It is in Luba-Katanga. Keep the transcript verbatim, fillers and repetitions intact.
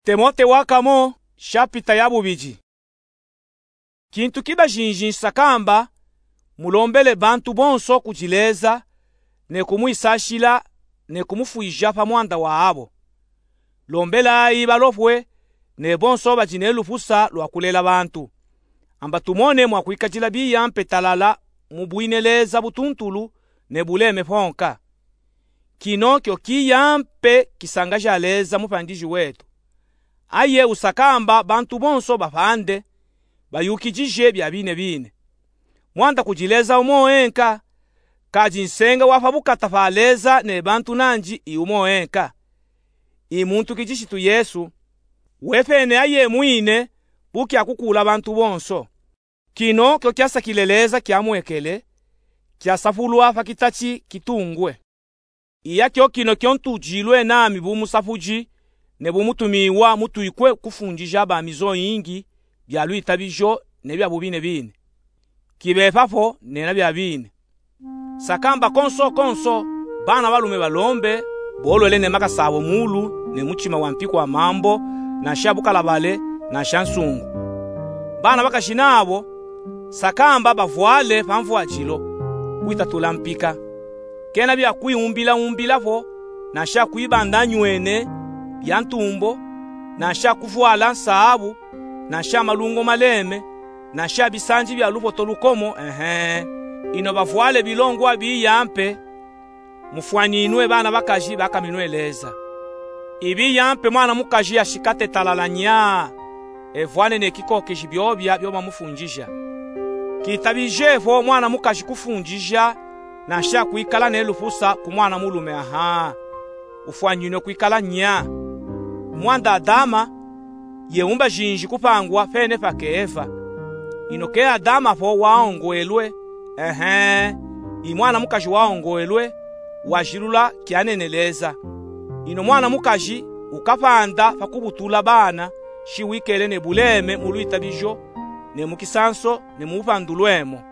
Timote wa kamo, shapita ya bubidi. Kintu kibajinji nsakamba, mulombele bantu bonso kudi Leza, ne kumwisashila, ne kumufwija pa mwanda wabo. Lombelayi balopwe, ne bonso badi ne lupusa lwa kulela bantu. Amba tumone mwa kwikadila biya mpe talala mu bwineleza butuntulu ne buleme ponka. Kino kio kiya mpe kisangaja Leza Mupandiji wetu. Aye usakamba bantu bonso bapande, bayukidije bia bine bine. Mwanda kudi Leza umo enka, kadi nsenga wa pa bukata pa Leza ne bantu nandi i umo enka. I muntu Kilishitu Yesu, wepene aye mwine, bu kia kukula bantu bonso. Kino kio kiasakile Leza kiamwekele, kiasapulwa pa kitati kitungwe. Iya kio kino kio ntudilwe nami bu musapudi, ne bu mutumiwa mutwikwe kufundija bami zoyingi, bia lwitabijo, ne bia bubine bine. Kibepapo, nena bia bine. Sakamba konso konso, bana balume balombe, bolwele ne makasa abo mulu, ne mutima wa mpi kwa mambo, nansha bukalabale, nansha nsungu. Bana bakaji nabo, sakamba bavwale pa mvwadilo, kwitatula mpika. Kena bia kwiumbila umbilapo, nansha kwibanda nywene, bia ntumbo, nansha kuvwala nsabu, nansha malungo maleme, nansha bisandi bia lupoto lukomo, ehe. Ino bavwale bilongwa biya mpe, mufwaninwe bana bakaji bakaminwe Leza. Ibiya mpe mwana mukaji ashikate talala nya, evwane ne kikokeji biobia bio bamufundija. Kitabijepo mwana mukaji kufundija, nansha kwikala ne lupusa ku mwana mulume, aha. Ufwaninwe kwikala nya. Mwanda Adama, ye umbajinji kupangwa pene pa ke Eva. Ino ke Adama po waongwelwe, ehe, i mwana mukaji waongwelwe, wajilula kianene Leza. Ino mwana mukaji ukapanda pa kubutula bana, shi wikele ne buleme mu lwitabijo, ne mu kisanso, ne mu bupandulwemo.